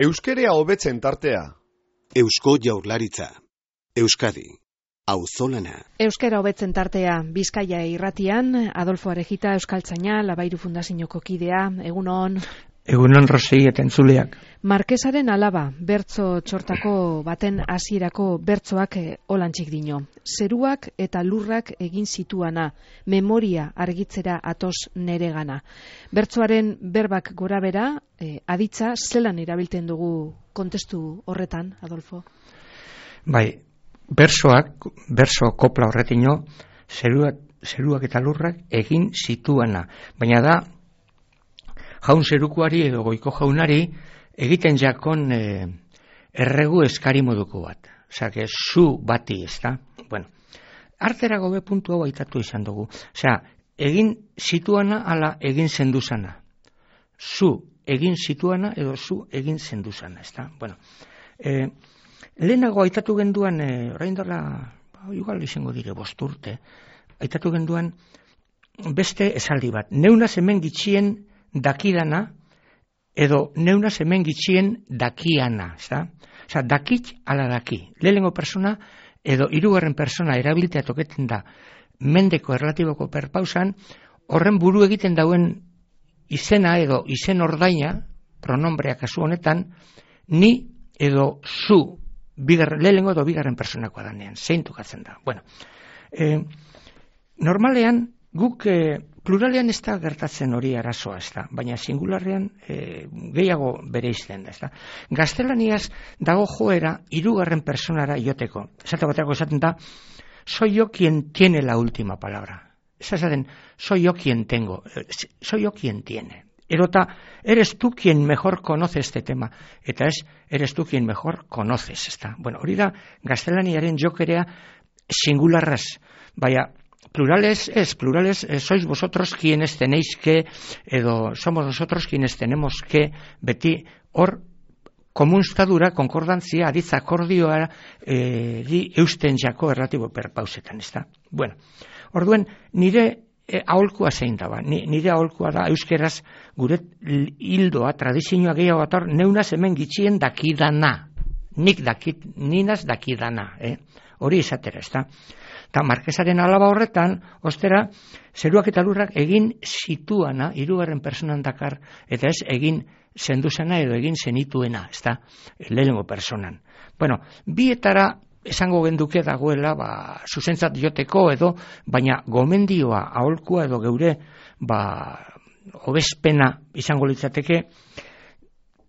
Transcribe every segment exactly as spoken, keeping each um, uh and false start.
Euskerea hobetzen tartea. Eusko Jaurlaritza. Euskadi. Auzolana. Euskera hobetzen tartea. Bizkaia irratian, Adolfo Arejita, Euskaltzaina, Labairu Fundazioko kidea. Egunon. Egunon Rosei eta entzuleak. Markesaren alaba, bertso txortako baten hasierako bertsoak olantzik dino. Zeruak eta lurrak egin zituana, memoria argitzera atoz neregana. Bertsoaren berbak gorabera, eh, aditza, zelan erabiltzen dugu kontestu horretan, Adolfo? Bai, bersoak, berso kopla horretino, zeruak, zeruak eta lurrak egin zituana. Baina da, jaun zerukuari edo goiko jaunari egiten jakon e, erregu eskari moduko bat. Osea, que zu bati, ez da? Bueno, artera gobe puntu hau aitatu izan dugu. Osea, egin zituana ala egin zenduzana. Zu egin zituana edo zu egin zenduzana, ez da? Bueno, e, lehenago aitatu genduan, e, orain dela, ba, igual izango dire bosturte, aitatu genduan beste esaldi bat. Neunaz hemen gitxien dakidana, edo neunaz hemen gitxien dakiana, ezta? Osa, dakit ala daki. Lehenengo persona, edo hirugarren persona erabiltea toketen da mendeko erlatiboko perpausan, horren buru egiten dauen izena edo izen ordaina, pronombrea kasu honetan, ni edo zu, bigar, lehenengo edo bigarren personakoa danean, zein tokatzen da. Bueno, eh, normalean, guk eh, pluralean ez da gertatzen hori arazoa, ez da, baina singularrean e, gehiago bere izten da, ez da. Gaztelaniaz dago joera hirugarren personara joteko. Esate bateako esaten da, soy yo quien tiene la última palabra. Ez esaten, soy yo quien tengo, soy yo quien tiene. Erota, eres tú quien mejor conoce este tema, eta ez, eres tú quien mejor conoces, ez da. Bueno, hori da, gaztelaniaren jokerea singularraz, baina, plurales es, plurales eh, sois vosotros quienes tenéis que, edo somos nosotros quienes tenemos que, beti hor komunstadura, konkordantzia, aditza akordioa eh, di eusten jako erlatibo perpausetan, ez da? Bueno, orduen nire eh, aholkua zein daba, Ni, nire aholkua da euskeraz gure hildoa, tradizioa gehiago ator, neunaz hemen gitxien dakidana, nik dakit, ninaz dakidana, eh? Hori izatera, ez da? Eta markesaren alaba horretan, ostera, zeruak eta lurrak egin zituana, hirugarren personan dakar, eta ez egin zenduzena edo egin zenituena, ez da, lehenengo personan. Bueno, bietara esango genduke dagoela, ba, zuzentzat joteko edo, baina gomendioa, aholkua edo geure, ba, hobezpena izango litzateke,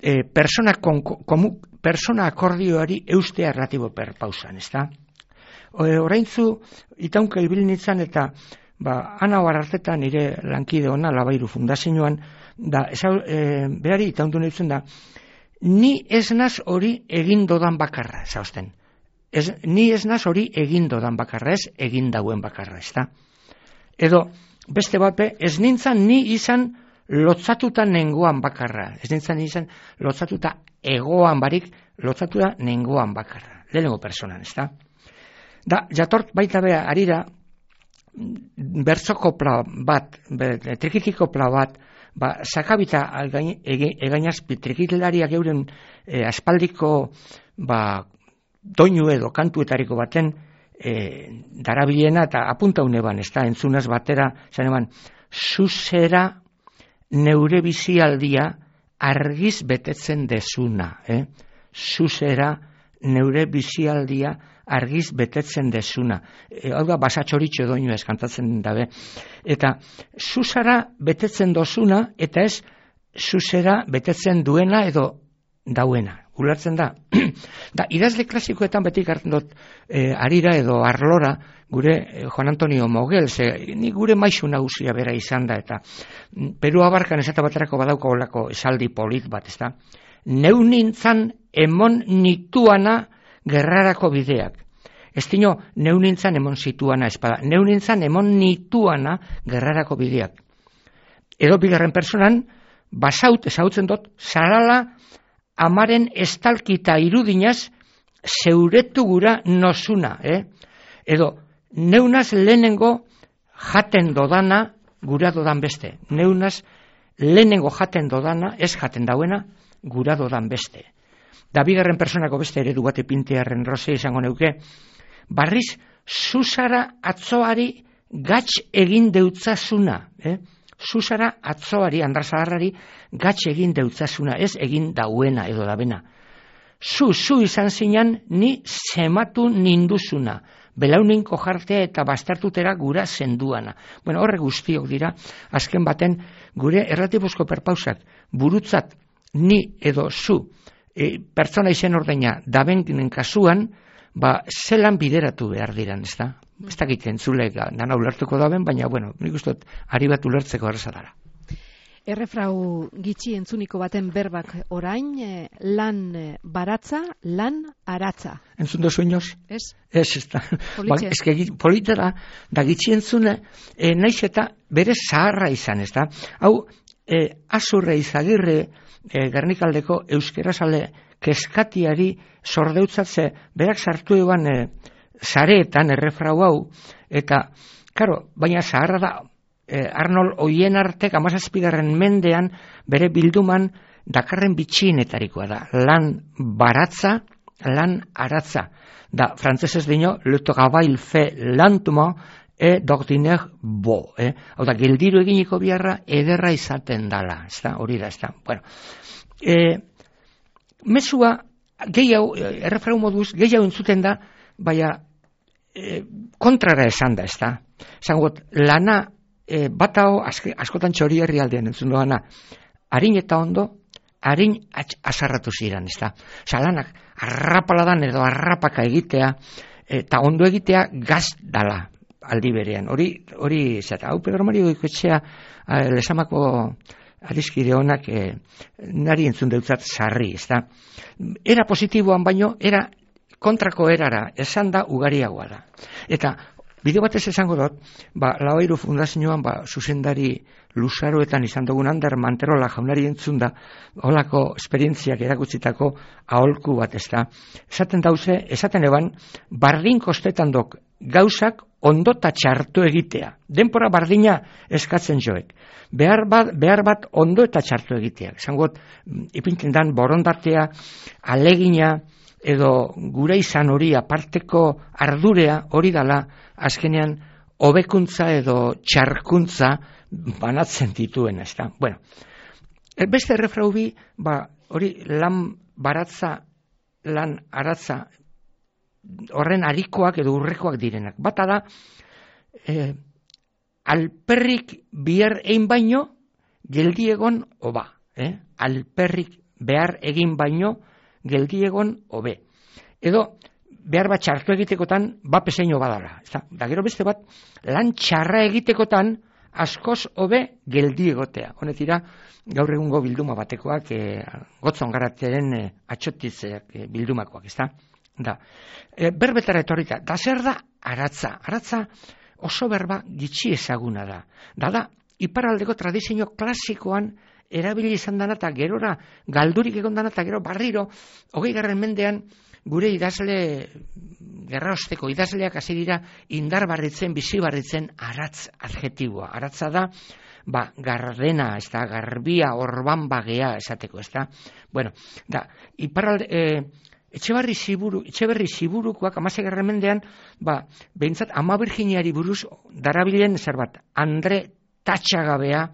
e, persona, kon, komu, persona akordioari eustea erlatibo perpausan, ez da? Oraintzu itaunka ibili nintzen eta ba, ana hartetan nire lankide ona Labairu Fundazioan da, esa, e, berari itaundu nintzen da, ni ez naz hori egin dodan bakarra, zausten. Ez, ni ez naz hori egin dodan bakarra, ez egin dauen bakarra, ez da. Edo, beste bape, ez nintzen ni izan lotzatuta nengoan bakarra, ez nintzen ni izan lotzatuta egoan barik, lotzatuta nengoan bakarra, lehenengo personan, ez da. Da, jatort baita bea, arira, bertzokopla bat, trikikikopla bat, ba, sakabita egainazpi trikitilariak euren e, aspaldiko, ba, doinu edo kantuetariko baten e, darabilena eta apunta uneban, ez da, entzunaz batera, zan eban, zuzera neure bizialdia argiz betetzen dezuna, eh? Zuzera neure bizialdia argiz betetzen dezuna. E, hau da, basatxoritxo doinu ez kantatzen dabe. Eta zuzara betetzen dozuna, eta ez zuzera betetzen duena edo dauena. Ulertzen da. Da, idazle klasikoetan beti gartzen dut e, arira edo arlora, gure e, Juan Antonio Mogel, ze, ni gure maisu nagusia bera izan da, eta Peru abarkan esate baterako badauko olako esaldi polit bat, ez da. Neu nintzan emon nituana gerrarako bideak. Ez dino, neu nintzan emon zituana espada. Neu nintzan emon nituana gerrarako bideak. Edo bigarren personan, basaut, ezautzen dut, zarala amaren estalkita irudinaz zeuretu gura nozuna. Eh? Edo, neunaz lehenengo jaten dodana gura dodan beste. Neunaz lehenengo jaten dodana, ez jaten dauena, gura dodan beste. da bigarren personako beste eredu bate pintearren roze izango neuke, barriz, zuzara atzoari gatz egin deutzasuna, eh? Zuzara atzoari, Andrazaharrari, gatz egin deutzasuna, ez egin dauena edo dabena. Zu, zu izan zinan, ni sematu ninduzuna, belauninko jartea eta bastartutera gura zenduana. Bueno, horre guztiok dira, azken baten, gure erratibuzko perpausak, burutzat, ni edo zu, e, pertsona izen ordeina, dabenen kasuan, ba, zelan bideratu behar diran, ez da? Ez dakit entzulek dana ulertuko daben, baina, bueno, nik uste dut, ari bat ulertzeko erraza dara. Errefrau gitxi entzuniko baten berbak orain, eh, lan eh, baratza, lan aratza. Entzun dozu inoz? Ez? Ez, ez da. Ba, ez que politera, da gitxi entzune, eh, naiz eta bere zaharra izan, ez da? Hau, eh, Azurre Izagirre, eh, Gernikaldeko euskerazale keskatiari sordeutzatze, berak sartu eban eh, zareetan errefrau hau, eta, karo, baina zaharra da, eh, Arnold Oienartek amazazpigarren mendean bere bilduman dakarren bitxienetarikoa da. Lan baratza, lan aratza. Da, frantzesez dino, le travail fait lentement et d'ordinaire beau. Eh? Hau da, geldiru eginiko biharra ederra izaten dala. Ez da, hori da, ez da. Bueno, eh, mesua, gehiago, errefrau moduz, gehiago entzuten da, baina e, kontrara esan da, ez da. Zangot, lana e, bat hau, askotan txori herri aldean entzun doana, harin eta ondo, harin azarratu ziren, ez da. Zalanak, arrapaladan edo arrapaka egitea, eta ondo egitea gaz dala aldi berean. Hori, hori, zeta, hau Pedro Mario Goikoetxea, lesamako adiskide honak e, nari entzun deutzat sarri, ez da. Era positiboan baino, era kontrako erara, esan da ugariagoa da. Eta, bideo batez esango dut, ba, Laoairu Fundazioan, ba, zuzendari luzaroetan izan dugun Ander Manterola jaunari entzun da, holako esperientziak erakutsitako aholku bat, ez da. Esaten dauze, esaten eban, bardin kostetan dok gauzak ondota txartu egitea. Denpora bardina eskatzen joek. Behar bat, behar bat ondo eta txartu egitea. Esangot, ipinten dan borondatea, alegina, edo gure izan hori aparteko ardurea hori dala azkenean hobekuntza edo txarkuntza banatzen dituen, ez da. Bueno, beste errefrau bi, ba, hori lan baratza, lan aratza, horren arikoak edo urrekoak direnak. Bata da, eh, alperrik bihar egin baino, geldiegon oba. Eh? Alperrik behar egin baino, geldiegon hobe. Edo, behar bat txartu egitekotan, bapeseino badala. Da gero beste bat, lan txarra egitekotan, askoz hobe geldiegotea. Honetira, gaur egungo bilduma batekoak, e, gotzon garateren e, atxotitzeak e, bildumakoak, ez da? Da. E, berbetara etorrita, da zer da aratza? Aratza oso berba gitxi ezaguna da. Da da, iparraldeko tradizio klasikoan erabili izan dana eta gerora galdurik egon dana eta gero barriro, hogei garren mendean, gure idazle, gerraosteko idazleak hasi dira indar barritzen, bizi barritzen aratz adjetiboa. Aratza da, ba, gardena, ez da, garbia, orban bagea esateko, ez da. Bueno, da, iparralde, e, Etxeberri ziburu, etxeberri ziburukoak amasegarren mendean, ba, behintzat ama Virginiari buruz darabilen zer bat, Andre Tatxagabea,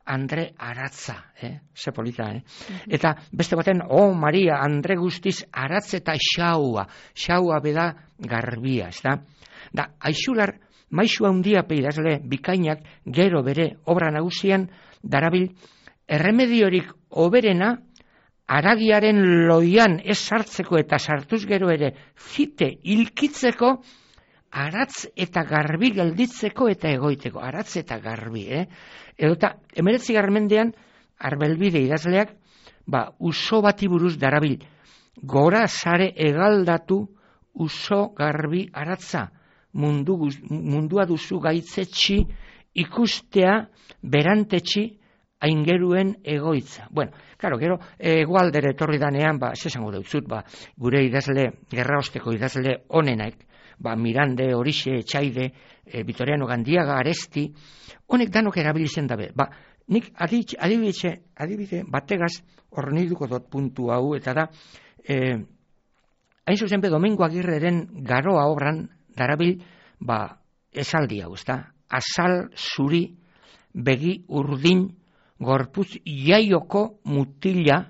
Andre Aratza, eh? Ze polita, eh? Mm-hmm. Eta beste baten, oh Maria, Andre guztiz aratz eta xaua, xaua beda garbia, ez da? Da, aixular, maisu handia peidazle bikainak gero bere obra nagusian darabil erremediorik oberena aragiaren loian ez sartzeko eta sartuz gero ere fite hilkitzeko aratz eta garbi gelditzeko eta egoiteko. Aratz eta garbi, eh? Edo eta emeretzi garmendean Arbelbide idazleak ba, uso bati buruz darabil. Gora sare egaldatu uso garbi aratza. Mundu, mundua duzu gaitzetxi ikustea berantetxi aingeruen egoitza. Bueno, claro, gero, egualdere etorri danean, ba, zesango deutzut, ba, gure idazle, gerraosteko idazle onenak, ba, Mirande, Horixe, Etxaide, e, Vitoriano Gandiaga, Aresti, honek danok erabilizen dabe. Ba, nik adibide, adibide bategaz horniduko dut puntu hau, eta da, E, hain zuzen be, Domingo Agirreren Garoa obran darabil, ba, esaldi hau, ezta? Azal zuri, begi urdin, gorputz jaioko mutila,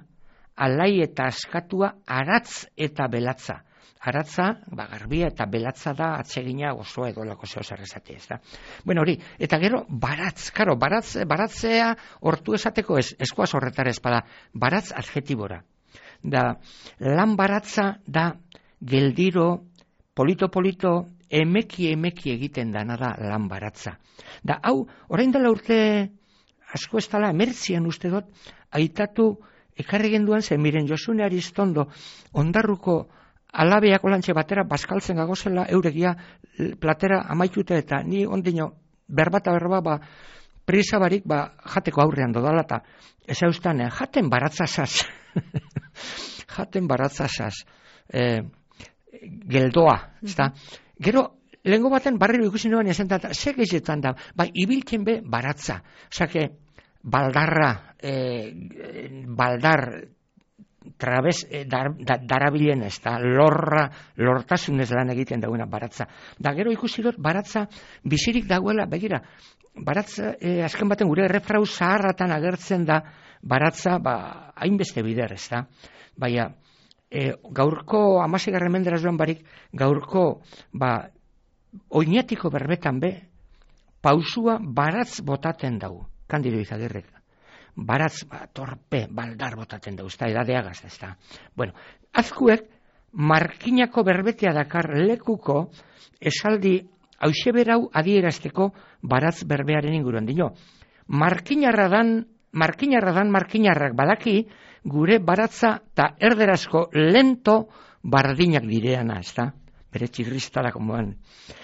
alai eta askatua, aratz eta belatza. Aratza, ba, garbia eta belatza da atsegina osoa edo lako zeo zer esate, ez da. Bueno, hori, eta gero, baratz, karo, baratz, baratzea hortu esateko ez, eskoaz horretara espada, baratz adjetibora. Da, lan baratza da geldiro, polito-polito, emeki emeki egiten dana da lan baratza. Da, hau, orain dela urte asko ez dela, emertzian uste dut, aitatu ekarri genduan zen, miren Josune Aristondo, ondarruko alabeak olantxe batera bazkaltzen gagozela euregia platera amaitute eta ni ondino berbata berba ba prisa barik ba jateko aurrean dodala eta ez eustan jaten baratzasaz jaten baratzasaz eh, geldoa, ezta? Gero lehengo baten barriro ikusi nuen esan da, ze gezetan da, bai, ibiltzen be baratza, osake baldarra, eh, baldar trabez eh, dar, da, darabilen ez da, lorra, lortasunez lan egiten dagoena baratza. Da gero ikusi dut baratza bizirik dagoela, begira, baratza, eh, azken baten gure errefrau zaharratan agertzen da baratza, ba, hainbeste bider, ez da. Baina, eh, gaurko amasegarren menderaz duan barik, gaurko, ba, oinatiko berbetan be, pausua baratz botaten dago, Kandido Izagirrek. Baratz, ba, torpe, baldar botaten dago, ez da, edadeagaz, ez da. Bueno, azkuek, markinako berbetea dakar lekuko, esaldi, hause berau adierazteko baratz berbearen inguruan dino. Markinarra dan, markinarra dan, markinarrak badaki, gure baratza eta erderazko lento bardinak direana, ez da. Bere txirriztara komoan.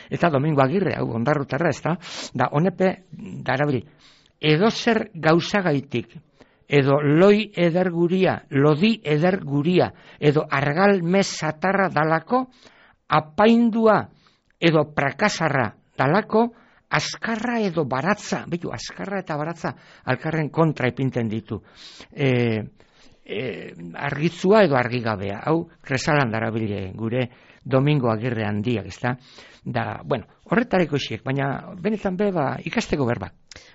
Eta Domingo Agirre, hau ondarrutarra, ez da, da honepe darabili. Edo zer gauzagaitik, edo loi ederguria, lodi ederguria, edo argal mesatarra dalako, apaindua edo prakasarra dalako, askarra edo baratza, betu, askarra eta baratza alkarren kontra ipinten ditu. E, e, argitzua edo argigabea, hau kresalan darabile gure Domingo Agirre handiak, ezta? Da, bueno, horretareko isiek, baina benetan be, ba, ikasteko berba.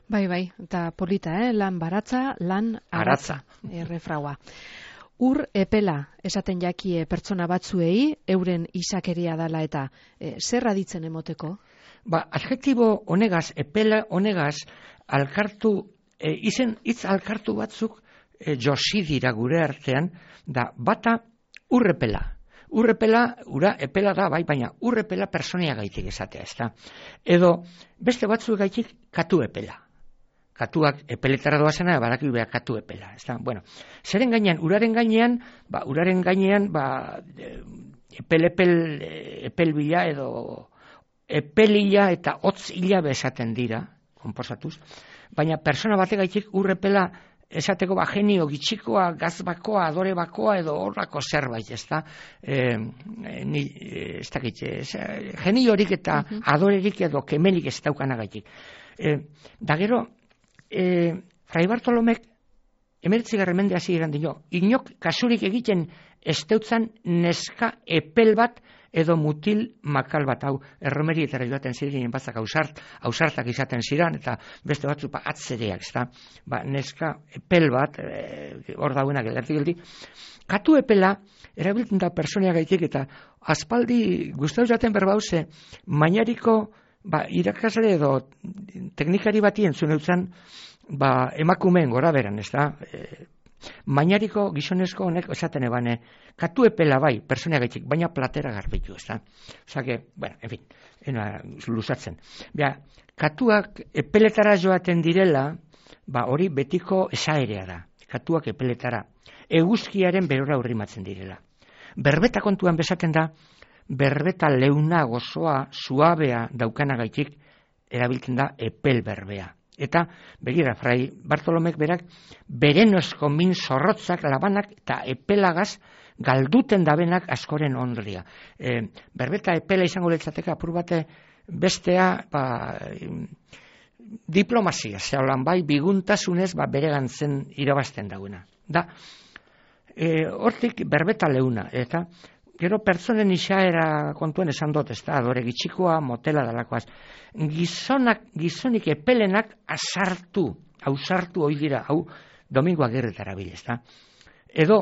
Bai, bai, eta polita, eh? Lan baratza, lan aratza, errefraua. Ur epela esaten jakie pertsona batzuei, euren izakeria dala eta e, zer aditzen emoteko? Ba, adjektibo honegaz, epela honegaz, alkartu, e, izen hitz alkartu batzuk e, josi dira gure artean, da bata urrepela. Urrepela, ura epela da, bai, baina urrepela personia gaitik esatea, ez da. Edo, beste batzuk gaitik katu epela. Katuak epeletara doazena, badaki beha katu epela, ez da. Bueno, zeren gainean, uraren gainean, ba, uraren gainean, ba, epel-epel, epelbila edo epelila eta hotz hila bezaten dira, konposatuz. Baina persona bate gaitik urrepela esateko ba genio gitxikoa, gazbakoa, adore bakoa edo horrako zerbait, ez da? E, ni, ez dakit, geniorik eta uh-huh. adorerik edo kemenik ez daukanagaitik. E, da gero, e, Fray Bartolomek emeretzigarren mende hasi eran dio, inok kasurik egiten ez deutzan neska epel bat edo mutil makal bat, hau erromerietara joaten ziren batzak ausart, ausartak izaten ziren, eta beste batzu ba, atzereak, ez da, ba, neska epel bat, e, hor dauenak edartik geldi, katu epela, erabiltzen da personia gaitik, eta aspaldi guztau jaten berbauze, mainariko, ba, irakasle edo teknikari bati entzun eutzen, ba, emakumeen gora beran, ez da, e, mainariko gizonezko honek esaten ebane, katu epela bai, persona gaitik, baina platera garbitu, ez da. Osa que, bueno, en fin, ena, luzatzen. Bea, katuak epeletara joaten direla, ba, hori betiko esaerea da. Katuak epeletara. Eguzkiaren berora urrimatzen direla. Berbeta kontuan bezaten da, berbeta leuna gozoa, suabea daukanagaitik, erabiltzen da epel berbea. Eta, begira, Fray Bartolomek berak, berenozko min zorrotzak, labanak eta epelagaz galduten dabenak askoren ondria. E, berbeta epela izango letzateka, apur bate bestea, ba, diplomazia, zeulan bai, biguntasunez, ba, bere gantzen irabazten dagoena. Da, e, hortik berbeta leuna, eta gero pertsonen izaera kontuen esan dut, ez da, adore gitxikoa, motela dalakoaz. Gizonak, gizonik epelenak asartu, ausartu hoi dira, hau Domingo Agirretara bil, ez da. Edo,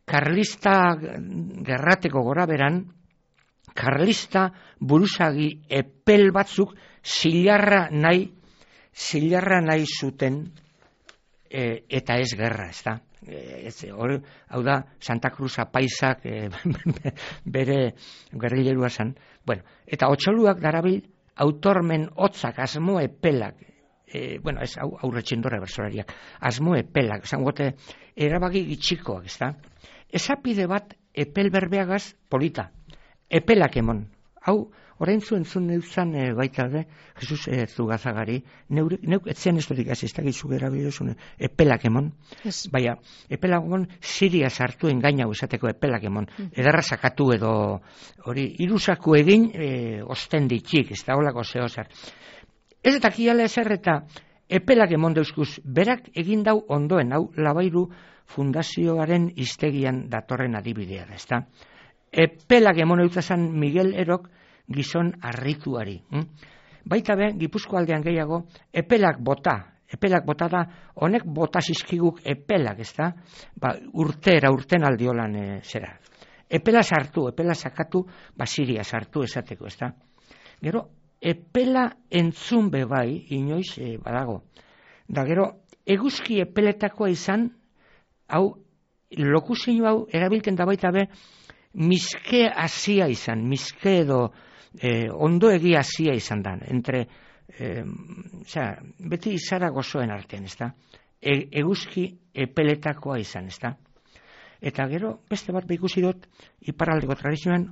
karlista gerrateko gora beran, karlista buruzagi epel batzuk zilarra nahi, zilarra nahi zuten e, eta ez gerra, ez da. E, ez, or, hau da, Santa Cruz apaisak e, bere gerrilerua zen. Bueno, eta otxoluak darabil autormen hotzak, asmo epelak, e, bueno, ez hau aurretxindora bersolariak, asmo epelak, esan gote, erabaki gitxikoak, ez da. Ezapide bat epel berbeagaz polita, epelak emon. Hau, orain zuen zuen neuzan e, baita de, Jesus e, Zugazagari, neuk, neuk etzen ez dudik ez da gizu gara bidozun, epelak emon. Yes. Baina, epelak emon, Siria sartu engainau esateko epelak emon. Mm. Edarra sakatu edo, hori, irusaku egin, e, osten ditxik, ez da holako zehozar. Ez eta kiala ezer eta epelak emon deuzkuz, berak egin dau ondoen, hau Labairu Fundazioaren iztegian datorren adibidea da, ez da. Epelak emon eutzazan Miguel Erok gizon arrituari. Hm? Baita be, Gipuzko aldean gehiago, epelak bota, epelak bota da, honek bota zizkiguk epelak, ez da, ba, urtera, urten aldiolan e, zera. Epela sartu, epela sakatu, ba, Siria sartu esateko, ez da. Gero, epela entzun be bai, inoiz e, badago. Da gero, eguzki epeletakoa izan, hau, lokuzio hau erabilten da baita be, miske hasia izan, miske edo eh, ondo egi hasia izan da, entre, eh, oza, beti izara gozoen artean, ez da? E, eguzki epeletakoa izan, ez da? Eta gero, beste bat behikusi dut, iparraldeko tradizioan,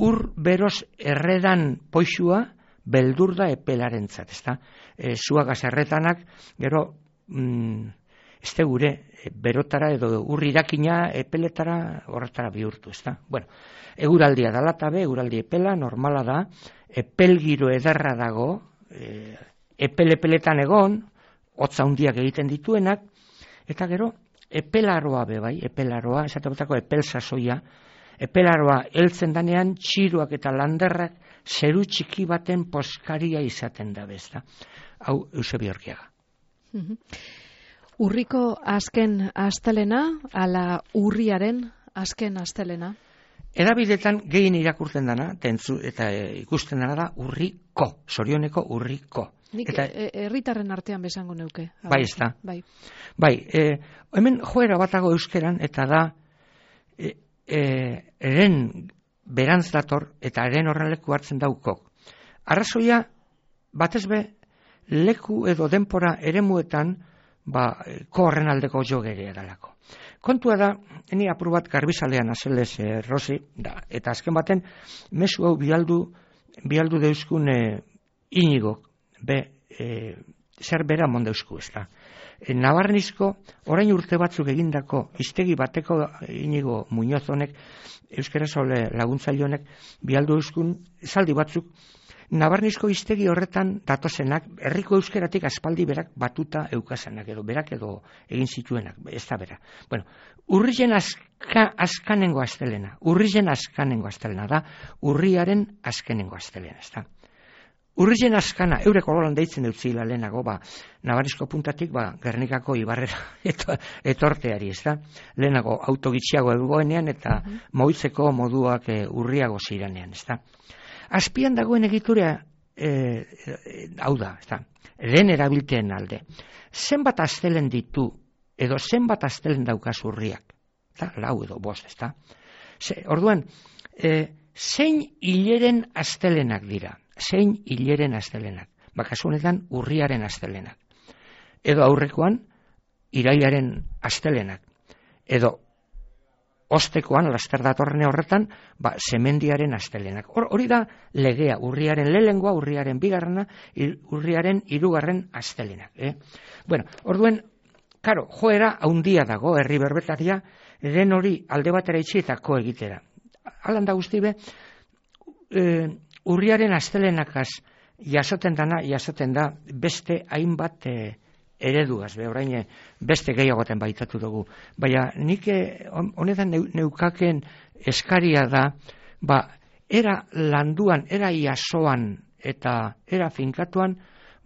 ur beroz erredan poixua, beldur da epelarentzat, ez da? E, zuagaz erretanak, gero, mm, ez da gure, berotara edo urri irakina epeletara horretara bihurtu, ez da? Bueno, eguraldia dalata be, eguraldi epela, normala da, epelgiro ederra dago, e, epel-epeletan egon, hotza hundiak egiten dituenak, eta gero, epelaroa be bai, epelaroa, esateko epel sasoia, epelaroa heltzen danean, txiruak eta landerrak zeru txiki baten poskaria izaten da bezta. Hau, Eusebio Orkiaga. Urriko azken astelena, ala urriaren azken astelena? Edabidetan gehien irakurtzen dana, tentzu, eta e, ikusten dana da urriko, sorioneko urriko. Nik eta, herritarren artean bezango neuke. Bai, ez da. Bai, bai e, hemen joera batago euskeran, eta da, e, e, eren berantz dator, eta eren horren leku hartzen daukok. Arrazoia, batez be, leku edo denpora eremuetan, ba, korren aldeko jogerea dalako. Kontua da, eni apur bat garbizalean azelez e, Rosi, da, eta azken baten, mezu hau bialdu, bialdu deuskun e, Inigok, be, e, zer bera mondeusku, ez da. E, Nabarnizko, orain urte batzuk egindako, iztegi bateko Inigo Muñoz honek, euskera zaule laguntzaile honek, bialdu euskun, zaldi batzuk, Nabarnizko iztegi horretan datozenak, herriko euskeratik aspaldi berak batuta eukazanak edo, berak edo egin zituenak, ez da bera. Bueno, urrizen azka, azkanengo astelena, urrizen azkanengo astelena da, urriaren azkenengo astelena, ez da. Urrizen azkana, eureko lolan deitzen dut zila lehenago, ba, Nabarnizko puntatik, ba, Gernikako ibarrera eto, etorteari, ez da. Lehenago autogitxiago egoenean eta uh-huh. moitzeko moduak e, urriago ziranean, ez da. Azpian dagoen egiturea, e, e, hau da, ez da, lehen erabilteen alde. Zenbat astelen ditu, edo zenbat astelen daukaz urriak, da, lau edo bost, ez da. Ze, orduan, e, zein hileren astelenak dira, zein hileren astelenak, bakasunetan urriaren astelenak. Edo aurrekoan, irailaren astelenak, edo ostekoan, laster datorrene horretan, ba, semendiaren astelenak. Hor, hori da legea, urriaren lehengoa, urriaren bigarrena, urriaren hirugarren astelenak. Eh? Bueno, orduen, karo, joera haundia dago, herri berbetaria, den hori alde batera itxietako egitera. Alan da guztibe, e, urriaren astelenakaz jasoten dana, jasoten da beste hainbat e, eredugaz, be, orain beste gehiagoten baitatu dugu. Baina nik honetan neukaken eskaria da, ba, era landuan, era iasoan eta era finkatuan,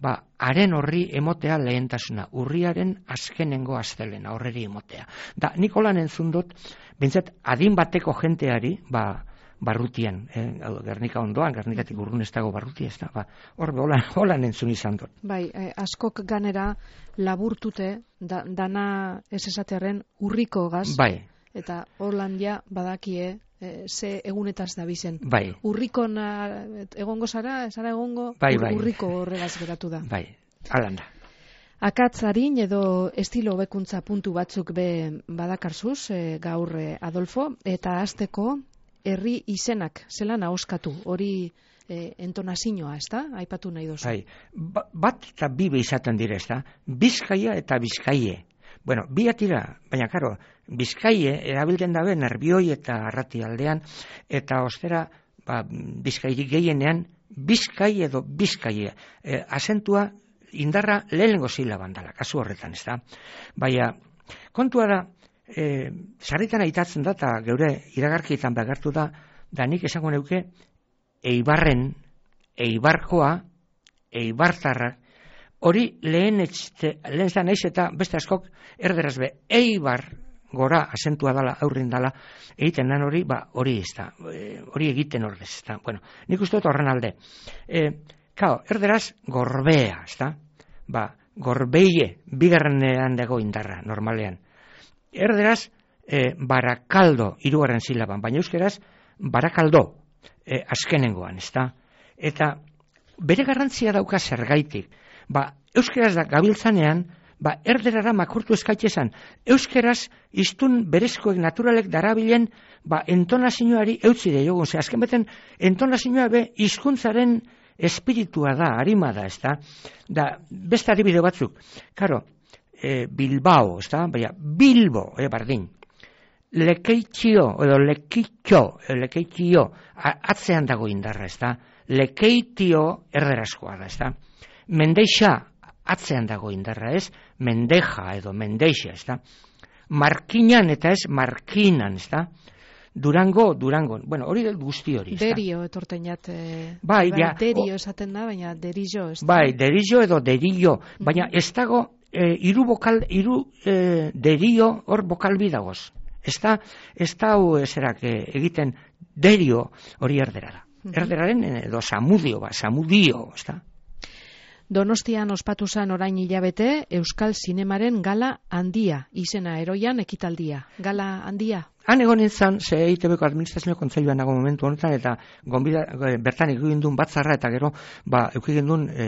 ba, haren horri emotea lehentasuna, urriaren azkenengo astelena, horreri emotea. Da, nik holan entzun dut, bintzat, adin bateko jenteari, ba, barrutian, eh? Gernika ondoan, Gernikatik urrun ez dago barrutia, ez da, ba, hor holan, holan entzun izan dut. Bai, eh, askok ganera laburtute, da, dana ez esatearen urriko gaz, bai. Eta Hollandia badakie eh, ze egunetaz da bizen. Bai. Urriko na, egongo zara, zara egongo, bai, ur, bai. urriko horregaz geratu da. Bai, alan da. Akatzarin edo estilo hobekuntza puntu batzuk be badakarzuz eh, gaur eh, Adolfo, eta hasteko herri izenak zelan ahoskatu, hori eh, entonazioa, ez da? Aipatu nahi dozu. Bai, ba, bat eta bibe izaten dire, ez da? Bizkaia eta Bizkaie. Bueno, bi atira, baina karo, Bizkaie erabiltzen dabe Nerbioi eta Arrati aldean, eta ostera, ba, Bizkairik gehienean, Bizkai edo Bizkaie. E, asentua indarra lehenengo silaban dela, kasu horretan, ez da? Baina, kontua da, e, sarritan aitatzen da, eta geure iragarkietan behartu da, da nik esango neuke, Eibarren, Eibarkoa, Eibartarrak, hori lehen lehen da naiz eta beste askok erderaz be, Eibar gora asentua dala, aurrin dala, egiten dan hori, ba, hori ez da, e, hori egiten ordez, ez da. Bueno, nik uste dut horren alde. E, kao, erderaz gorbea, ez da, ba, gorbeie, bigarrenean dago indarra, normalean. Erderaz, e, barakaldo, hirugarren silaban, baina euskeraz, barakaldo, e, azkenengoan, ez da. Eta bere garrantzia dauka zergaitik. Ba, euskeraz da gabiltzanean, ba, erderara makurtu eskaitezan. Euskeraz, iztun berezkoek naturalek darabilen, ba, entonazioari eutzi de jogun. Ze, azken beten, entonazioa be, hizkuntzaren espiritua da, harima da, ez da. Da, beste adibide batzuk. Karo, e, Bilbao, ez da, baina, Bilbo, e, bardin. Lekeitio, edo lekeitio, lekeitio, atzean dago indarra, ez da. Lekeitio erderazkoa da, ez da. Mendeixa atzean dago indarra, ez? Mendeja edo mendeixa, ez da? Markinan eta ez markinan, ez da? Durango, Durango. Bueno, hori guzti hori, ez da? Derio etorteinat. Eh, bai, ja. Derio esaten da, baina derillo, ez da? Bai, derillo edo derillo. Baina ez dago, eh, iru bokal, iru eh, derio hor bokal bidagoz. Ez da, ez da, ezerak eh, egiten derio hori erdera da. Erderaren edo samudio, ba, samudio, ez da? Donostian ospatu zan orain hilabete Euskal Zinemaren gala handia, izena eroian ekitaldia. Gala handia? Han egon nintzen, ze E I Te Beko administrazio kontseiluan nago momentu honetan, eta gonbida, bertan egin duen batzarra, eta gero, ba, eukik duen e,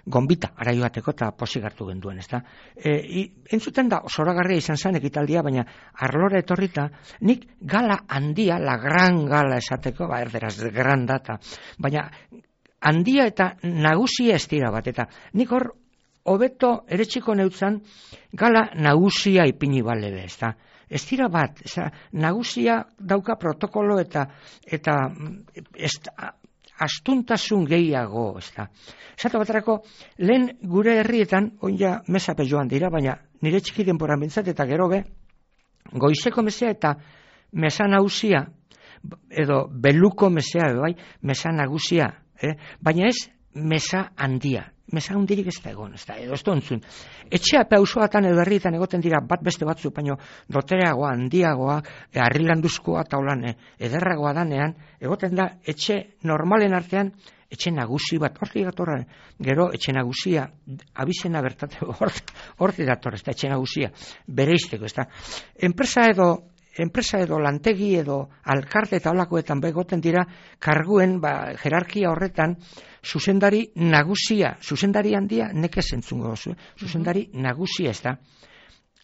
gonbita, araio bateko, eta posik hartu genduen, ez da. E, entzuten da, zoragarria izan zen ekitaldia, baina arlora etorrita, nik gala handia, la gran gala esateko, ba, erderaz, gran data, baina handia eta nagusia ez dira bat, eta nik hor, hobeto ere txiko neutzan, gala nagusia ipini balebe, ez da. Ez dira bat, ez da, nagusia dauka protokolo eta, eta ez, astuntasun gehiago, ez da. Esatu baterako, lehen gure herrietan, oin ja mesape joan dira, baina nire txiki denporan bintzat, eta gero be, goizeko mesea eta mesa nagusia, edo beluko mesea, edo bai, mesa nagusia, Eh? Baina ez mesa handia, mesa handirik ez da egon, ez da, edo ez da ontzun. Etxea pausoatan edo herrietan egoten dira bat beste batzu, baina dotereagoa, handiagoa, e, harrilanduzkoa eta holan e, ederragoa danean, egoten da etxe normalen artean, etxe nagusi bat, horti datorra, gero etxe nagusia, abizena bertate, horti datorra, ez da, etxe nagusia, bereizteko, ez da. Enpresa edo, enpresa edo lantegi edo alkarte eta holakoetan begoten dira karguen, ba, jerarkia horretan zuzendari nagusia, zuzendari handia nekez entzungo dozu, eh? Zuzendari nagusia ez da.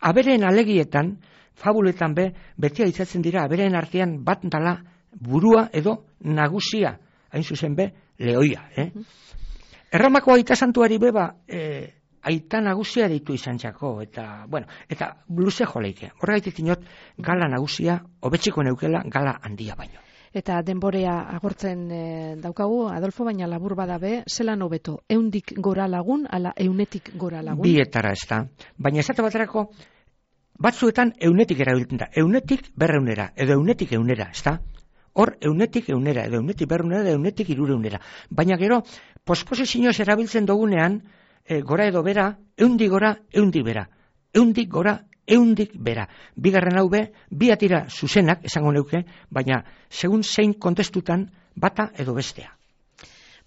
Aberen alegietan, fabuletan be, beti aitzatzen dira, aberen artean bat dala burua edo nagusia, hain zuzen be, lehoia. Eh? Erramako aita santuari beba, eh, aita nagusia deitu izan txako, eta, bueno, eta luze joleike. Horregaitik inot, gala nagusia, hobetxiko neukela, gala handia baino. Eta denborea agortzen e, daukagu, Adolfo, baina labur badabe, zelan hobeto, eundik gora lagun, ala eunetik gora lagun? Bietara ez da. Baina esate baterako, batzuetan eunetik erabiltzen da. Eunetik berreunera, edo eunetik eunera, ez da? Hor, eunetik eunera, edo eunetik berreunera, edo eunetik irureunera. Baina gero, posposizioz erabiltzen dugunean, e, gora edo bera, eundik gora, eundik bera. Eundik gora, eundik bera. Bigarren hau be, bi atira zuzenak, esango neuke, baina segun zein kontestutan bata edo bestea.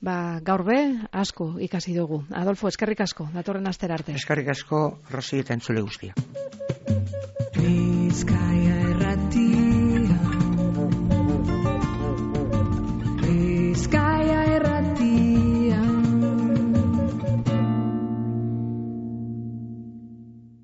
Ba, gaur be, asko ikasi dugu. Adolfo, eskerrik asko, datorren astera arte. Eskerrik asko, Rosi eta entzule guztia. Bizkaia